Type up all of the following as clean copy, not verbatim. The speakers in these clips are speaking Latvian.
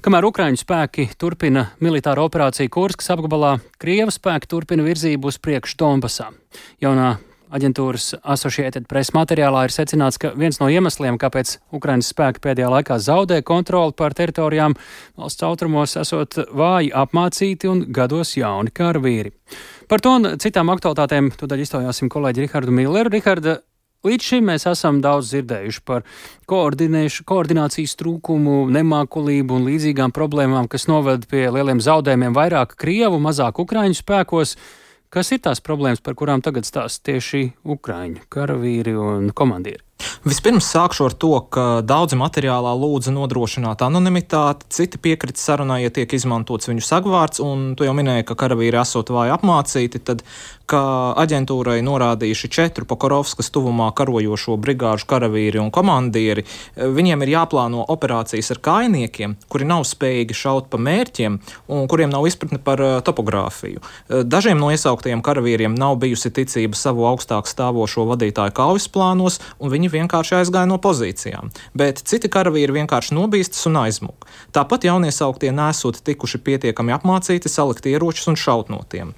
Kamēr Ukraiņu spēki turpina militāro operāciju Kurskas apgabalā, Krievu spēki turpina virzību uz priekšu Donbasā. Jaunā aģentūras Associated Press materiālā ir secināts, ka viens no iemesliem, kāpēc Ukrainas spēki pēdējā laikā zaudē kontroli pār teritorijām, valsts austrumos esot vāji apmācīti un gados jauni karavīri. Par to un citām aktualitātēm tūdaļ iztaujāsim kolēģi Rihardu Milleru. Riharda, līdz šim mēs esam daudz dzirdējuši par koordinācijas trūkumu, nemākulību un līdzīgām problēmām, kas noved pie lieliem zaudējumiem vairāk Krievu, mazāk Ukraiņu spēkos. Kas ir tās problēmas, par kurām tagad stāsta tieši Ukraiņu karavīri un komandieri? Vispirms sākšu ar to, ka daudzi materiālā lūdza nodrošināt anonimitāti, citi piekrita sarunai, ja tiek izmantots viņu sagvārds, un tu jau minēji, ka karavīri esot vāji apmācīti, tad, kā aģentūrai norādījuši 4 Pokorovskas tuvumā karojošo brigāžu karavīri un komandieri, viņiem ir jāplāno operācijas ar kājniekiem, kuri nav spējīgi šaut pa mērķiem un kuriem nav izpratne par topogrāfiju. Dažiem no iesauktajiem karavīriem nav bijusi ticība savu augstāk stāvošo vadītāju kaujas plānos, un viņi vienkārši aizgāja no pozīcijām, bet citi karavīri vienkārši nobīstas un aizmūg. Tāpat jauniesauktie nesot tikuši pietiekami apmācīti salikt ieročus un šaut no tiem.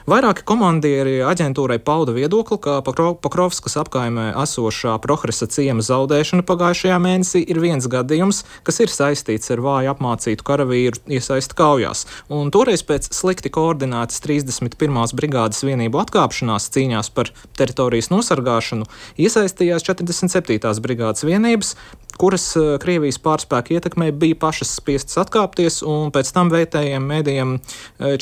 Vairāki komandieri aģentūrai pauda viedokli, ka Pokrovskas apkaimē esošā Prohresa ciema zaudēšana pagājušajā mēnesī ir viens gadījums, kas ir saistīts ar vāju apmācītu karavīru iesaisti kaujās, un toreiz pēc slikti koordinētas 31. brigādes vienību atkāpšanās cīņās par teritorijas nosargāšanu iesaistījās 47. brigādes vienības, kuras Krievijas pārspēku ietekmē bija pašas spiestas atkāpties, un pēc tam vietējiem mēdījiem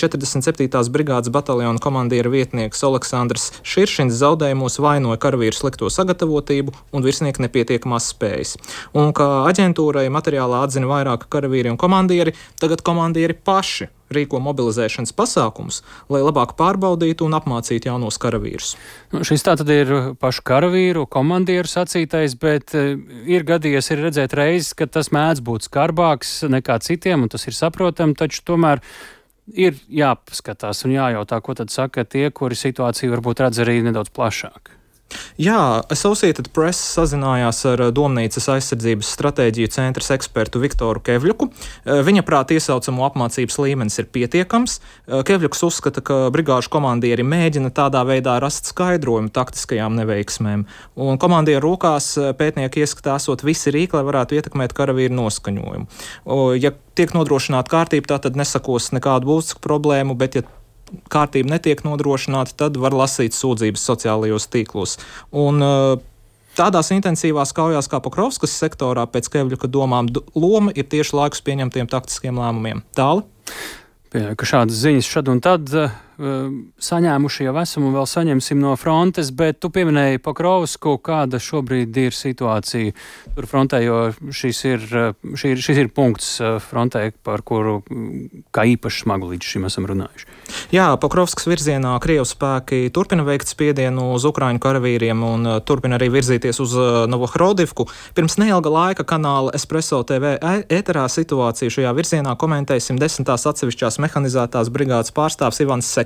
47. brigādes bataljona komandiera vietnieks Aleksandrs Širšins zaudējumos vainoja karavīru slikto sagatavotību un virsnieku nepietiekamās spējas. Un kā aģentūrai materiālā atzina vairāki karavīri un komandieri, tagad komandieri paši rīko mobilizēšanas pasākumus, lai labāk pārbaudītu un apmācītu jaunos karavīrus. Šis tātad ir pašu karavīru, komandieru sacītais, bet ir gadījies ir redzēt reizes, ka tas mēdz būt skarbāks nekā citiem, un tas ir saprotami, taču tomēr ir jāpaskatās un jājautā, ko tad saka tie, kuri situāciju varbūt redz arī nedaudz plašāk. Jā, Associated Press sazinājās ar Domnīcas aizsardzības stratēģiju centras ekspertu Viktoru Kevļuku. Viņa prāt iesaucamo apmācības līmenis ir pietiekams. Kevļuks uzskata, ka brigāžu komandieri mēģina tādā veidā rast skaidrojumu taktiskajām neveiksmēm. Un komandieru rokās pētnieki ieskatā esot visi rīki, lai varētu ietekmēt karavīru noskaņojumu. Ja tiek nodrošināta kārtība, tā tad nesakos nekādu būtisku problēmu, bet ja kārtība netiek nodrošināta, tad var lasīt sūdzības sociālajos tīklos. Un tādās intensīvās kaujās kā Pokrovskas sektorā pēc Kevļuka domām loma ir tieši laikus pieņemtiem taktiskiem lēmumiem. Tāli? Pieļauju, ka šādas ziņas šad un tad saņēmuši jau esam un vēl saņemsim no frontes, bet tu pieminēji Pokrovsku, kāda šobrīd ir situācija tur frontē, jo šis ir punkts frontē, par kuru kā īpaši smagu līdz šim esam runājuši. Jā, Pokrovskas virzienā Krievu spēki turpina veikt spiedienu uz Ukraiņu karavīriem un turpina arī virzīties uz Novohrodivku. Pirms neilga laika kanāla Espresso TV ēterā situāciju šajā virzienā komentēja 110. atsevišķās mehanizētās brigādes pārstāvs Ivans Sekačs.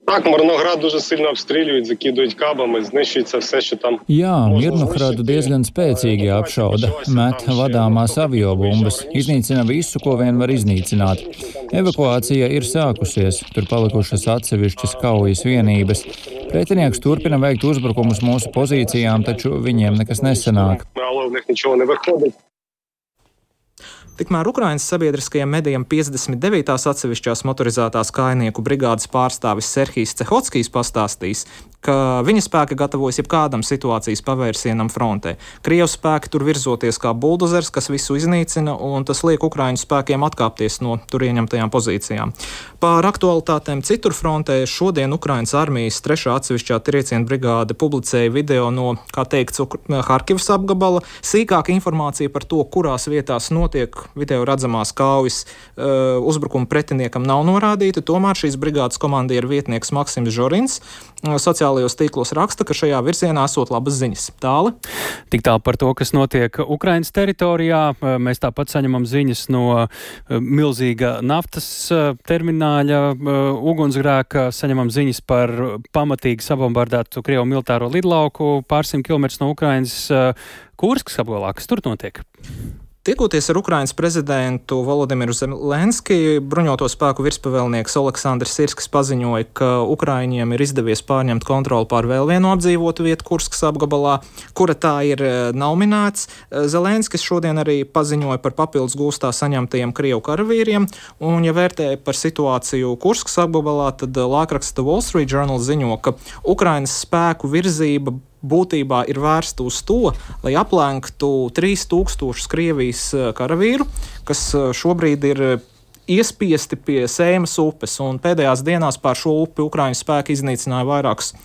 Так, Мирноград дуже сильно обстрілюють, закидують кабами, знищується все, що там. Jā, Mirnohradu diezgan spēcīgi apšauda, met vadāmās aviobumbas, iznīcina visu, ko vien var iznīcināt. Evakuācija ir sākusies, tur palikušas atsevišķas kaujas vienības. Pretinieks turpina veikt uzbrukumus mūsu pozīcijām, taču viņiem nekas nesanāk. Tikmēr Ukrainas sabiedriskajiem medijiem 59. atsevišķās motorizētās kājnieku brigādes pārstāvis Serhijs Cehockijs pastāstīs, ka viņa spēki gatavojas jebkādam situācijas pavērsienam frontē. Krievu spēki tur virzoties kā buldozers, kas visu iznīcina, un tas liek Ukraiņu spēkiem atkāpties no tur ieņemtajām pozīcijām. Par aktualitātēm citur frontē šodien Ukrainas armijas 3. atsevišķā trieciena brigāde publicēja video no, kā teikts, Harkivas apgabala. Sīkāka informācija par to, kurās vietās notiek video redzamās kaujas uzbrukuma pretiniekam nav norādīta, tomēr šīs brigādes komandieru vietnieks Maksims Žorins sociālajos tīklos raksta, ka šajā virzienā esot labas ziņas. Tāli? Tik tālu par to, kas notiek Ukrainas teritorijā. Mēs tāpat saņemam ziņas no milzīga naftas termināļa ugunsgrēka, saņemam ziņas par pamatīgi sabombardētu Krievu militāro lidlauku pārsimt kilometrus no Ukrainas Kurskas apgabalā. Kas tur notiek? Tiekoties ar Ukrainas prezidentu Volodimiru Zelenski, bruņoto spēku virspavēlnieks Oleksandrs Sirskis paziņoja, ka Ukraiņiem ir izdevies pārņemt kontroli pār vēl vienu apdzīvotu vietu Kurskas apgabalā, kura tā ir, nav minēts. Zelenskis šodien arī paziņoja par papildus gūstā saņemtajiem Krievu karavīriem, un, ja vērtē par situāciju Kurskas apgabalā, tad laikraksta Wall Street Journal ziņo, ka Ukrainas spēku virzība būtībā ir vērsta uz to, lai aplenktu 3000 Krievijas karavīru, kas šobrīd ir iespiesti pie Seimas upes, un pēdējās dienās pār šo upi Ukraiņu spēki iznīcināja vairākus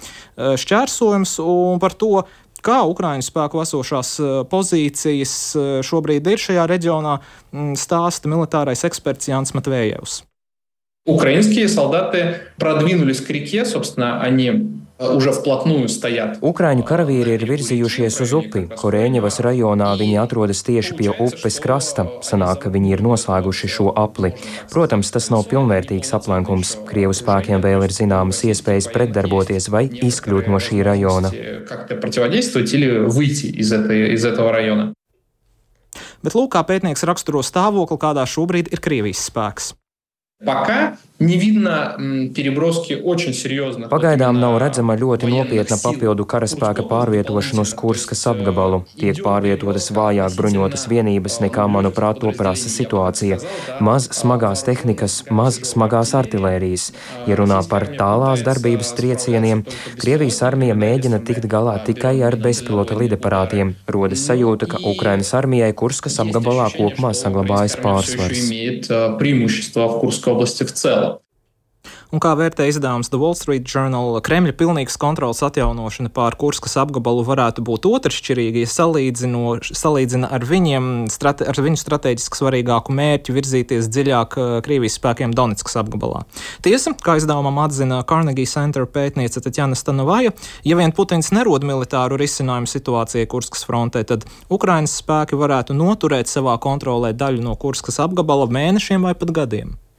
šķērsojumus, un par to, kā Ukraiņu spēku esošās pozīcijas šobrīd ir šajā reģionā, stāsta militārais eksperts Jānis Matvējevs. Украинские солдаты продвинулись к реке, собственно, они уже вплотную стоят. Ukraiņu karavīri ir virzījušies uz upi. Korēņevas rajonā viņi atrodas tieši pie upes krasta. Sanāk, ka viņi ir noslēguši šo apli. Protams, tas nav pilnvērtīgs aplenkums. Krievu spēkiem vēl ir zināmas iespējas pretdarboties vai izkļūt no šī rajona. Bet lūk, kā pētnieks raksturo stāvokli, kādā šobrīd ir Krievijas spēks. Pagaidām nav redzama ļoti nopietna papildu karaspēka pārvietošana uz Kurskas apgabalu. Tiek pārvietotas vājāk bruņotas vienības nekā, manuprāt, to prasa situācija. Maz smagās tehnikas, maz smagās artilērijas. Ja runā par tālās darbības triecieniem, Krievijas armija mēģina tikt galā tikai ar bezpilota lidaparātiem. Rodas sajūta, ka Ukrainas armijai Kurskas apgabalā kopumā saglabājas pārsvars. Области в целом. Un kā vērtē izdevums The Wall Street Journal, Kremļa pilnīgas kontrolas atjaunošana pār Kurskas apgabalu varētu būt otršķirīga, ja salīdzina ar viņu strateģiski svarīgāku mērķi virzīties dziļāk Krievijas spēkiem Donetskas apgabalā. Tiesa, kā izdevumam atzina Carnegie Center pētniece Tatjana Stanovaja, ja vien Putins nerod militāru risinājumu situācijai Kurskas frontē, tad Ukrainas spēki varētu noturēt savā kontrolē daļu no Kurskas apgabala mēnešiem vai pat gadiem.